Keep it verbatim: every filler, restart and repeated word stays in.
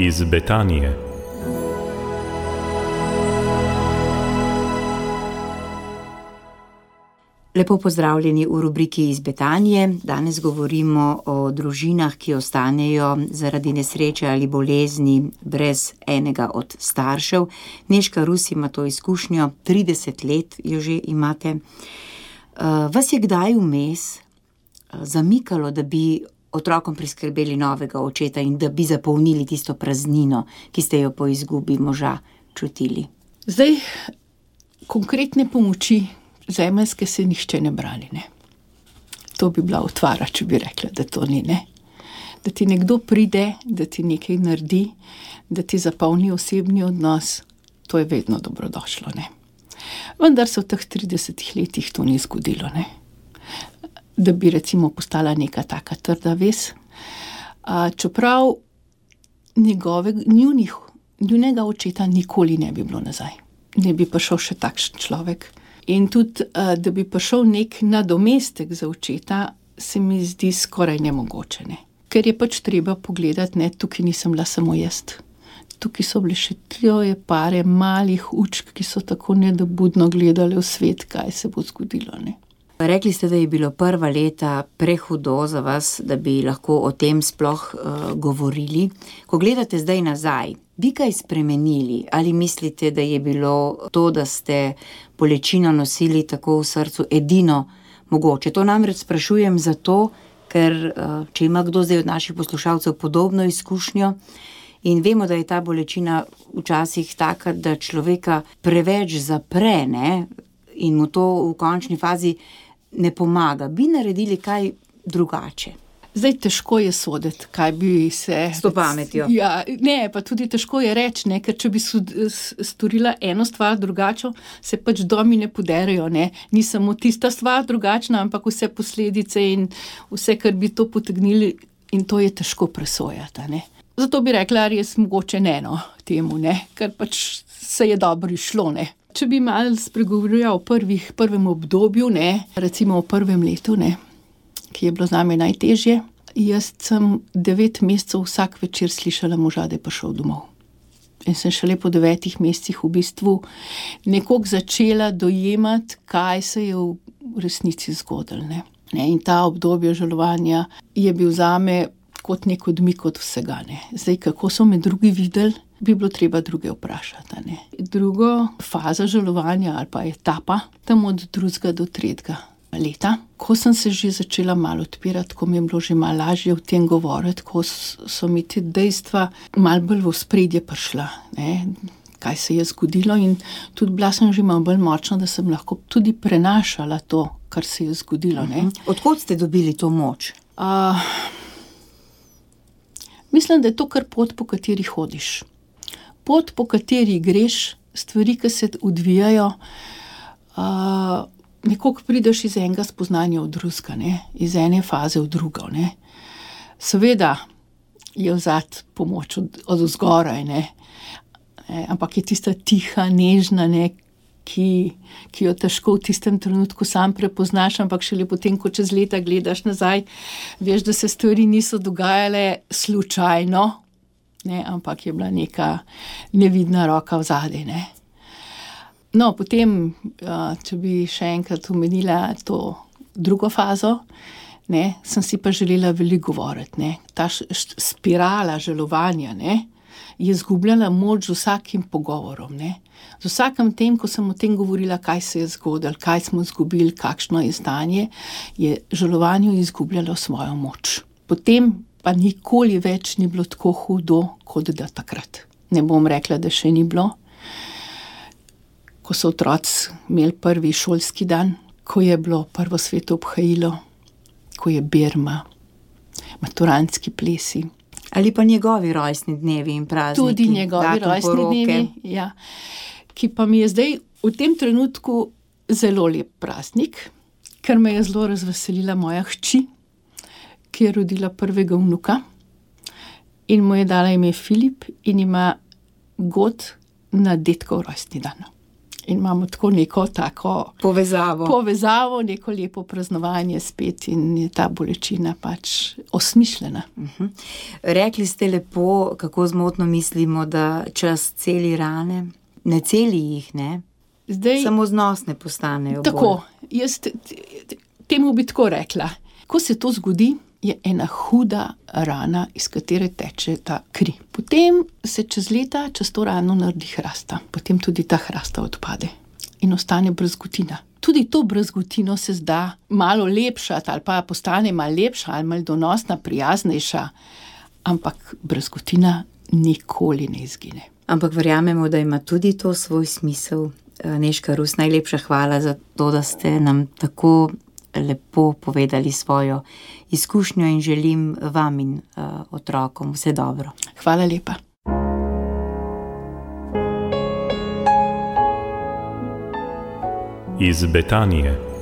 iz Betanije. Lepo pozdravljeni v rubriki iz Betanije. Danes govorimo o družinah, ki ostanejo zaradi nesreče ali bolezni brez enega od staršev. Nežka Rus ima to izkušnjo, trideset let jo že imate. Vas je kdaj vmes zamikalo, da bi otrokom priskrbeli novega očeta in da bi zapolnili tisto praznino, ki ste jo po izgubi moža čutili? Zdaj, konkretne pomoči zemeljske se nihče ne brani, ne. To bi bila utvara, če bi rekla, da to ni, ne. Da ti nekdo pride, da ti nekaj naredi, da ti zapolni osebni odnos, to je vedno dobrodošlo, ne. Vendar se v teh tridesetih letih to ni zgodilo, ne. Da bi recimo postala neka taka trda vez. A, čeprav njegove, njunih, njunega očeta nikoli ne bi bilo nazaj. Ne bi prišel še takšen človek. In tudi, da bi prišel nek nadomestek za očeta, se mi zdi skoraj nemogoče, ne. Ker je pač treba pogledati, ne, tukaj nisem bila samo jaz. Tukaj so bile še troje pare malih učk, ki so tako nedobudno gledali v svet, kaj se bo zgodilo, ne. Rekli ste, da je bilo prva leta prehudo za vas, da bi lahko o tem sploh uh, govorili. Ko gledate zdaj nazaj, bi kaj spremenili? Ali mislite, da je bilo to, da ste bolečino nosili tako v srcu, edino mogoče? To namreč sprašujem zato, ker uh, če ima kdo zdaj od naših poslušalcev podobno izkušnjo in vemo, da je ta bolečina včasih taka, da človeka preveč zapre, ne, in mu to v končni fazi ne pomaga. Bi naredili kaj drugače? Zdaj, težko je soditi, kaj bi se... S to pametjo. Ja, ne, pa tudi težko je reči, ne, ker če bi storila eno stvar drugače, se pač domi ne poderejo, ne. Ni samo tista stvar drugačna, ampak vse posledice in vse, kar bi to potegnili, in to je težko presojati, ne. Zato bi rekla, res mogoče ne, no, temu, ne, ker pač se je dobro išlo, ne. Če bi malo spregovorila o prvih, prvem obdobju, ne, recimo o prvem letu, ne, ki je bilo zame najtežje, jaz sem devet mesecev vsak večer slišala moža, da je prišel domov. In sem šele po devetih mesecih v bistvu nekoliko začela dojemati, kaj se je v resnici zgodilo, ne. Ne, in ta obdobje žalovanja je bil zame kot nek odmik od vsega, ne. Zdaj, kako so me drugi videli, bi bilo treba druge vprašati, ne. Drugo faza žalovanja ali pa etapa, tam od drugega do tretjega leta, ko sem se že začela malo odpirati, ko mi je bilo že malo lažje o tem govoriti, ko so mi te dejstva malo bolj v ospredje prišla, ne, kaj se je zgodilo, in tudi bila sem že malo bolj močna, da sem lahko tudi prenašala to, kar se je zgodilo, ne. Odkot ste dobili to moč? Uh, mislim, da je to kar pot, po kateri hodiš. Pot, po kateri greš, stvari, ki se odvijajo, uh, nekoliko prideš iz enega spoznanja v drugega, ne, iz ene faze v drugo, ne. Seveda je vzad pomoč od, od vzgoraj, ne, e, ampak je tista tiha, nežna, ne, ki, ki jo težko v tistem trenutku sam prepoznaš, ampak šele potem, ko čez leta gledaš nazaj, veš, da se stvari niso dogajale slučajno, ne, ampak je bila neka nevidna roka vzadej, ne. No, potem, če bi še enkrat omenila to drugo fazo, ne, sem si pa želela veliko govoriti, ne. Ta spirala žalovanja, ne, je izgubljala moč z vsakim pogovorom, ne. Z vsakim tem, ko sem o tem govorila, kaj se je zgodilo, kaj smo izgubili, kakšno je stanje, je žalovanje izgubljalo svojo moč. Potem pa nikoli več ni bilo tako hudo, kot da takrat. Ne bom rekla, da še ni bilo. Ko so otroci imeli prvi šolski dan, ko je bilo prvo sveto obhajilo, ko je berma, maturantski plesi. Ali pa njegovi rojstni dnevi in prazniki. Tudi njegovi rojstni dnevi, ja. Ki pa mi je zdaj v tem trenutku zelo lep praznik, ker me je zelo razveselila moja hči, ki je rodila prvega vnuka in mu je dala ime Filip in ima god na dedkov rojstni dan. In imamo tako neko tako Povezavo. povezavo, neko lepo praznovanje spet in je ta bolečina pač osmišljena. Uh-huh. Rekli ste lepo, kako zmotno mislimo, da čas celi rane. Ne celi jih, ne? Zdaj, Samo znosne postanejo. tako, jaz t- t- temu bi tako rekla. Ko se to zgodi, je ena huda rana, iz katere teče ta kri. Potem se čez leta, čez to rano naredi hrasta. Potem tudi ta hrasta odpade in ostane brazgotina. Tudi to brazgotino se zda malo lepšati ali pa postane malo lepša ali malo donosna, prijaznejša, ampak brazgotina nikoli ne izgine. Ampak verjamemo, da ima tudi to svoj smisel. Nežka Rus, najlepša hvala za to, da ste nam tako lepo povedali svojo izkušnjo in želim vam in uh, otrokom vse dobro. Hvala lepa. Iz Betanije.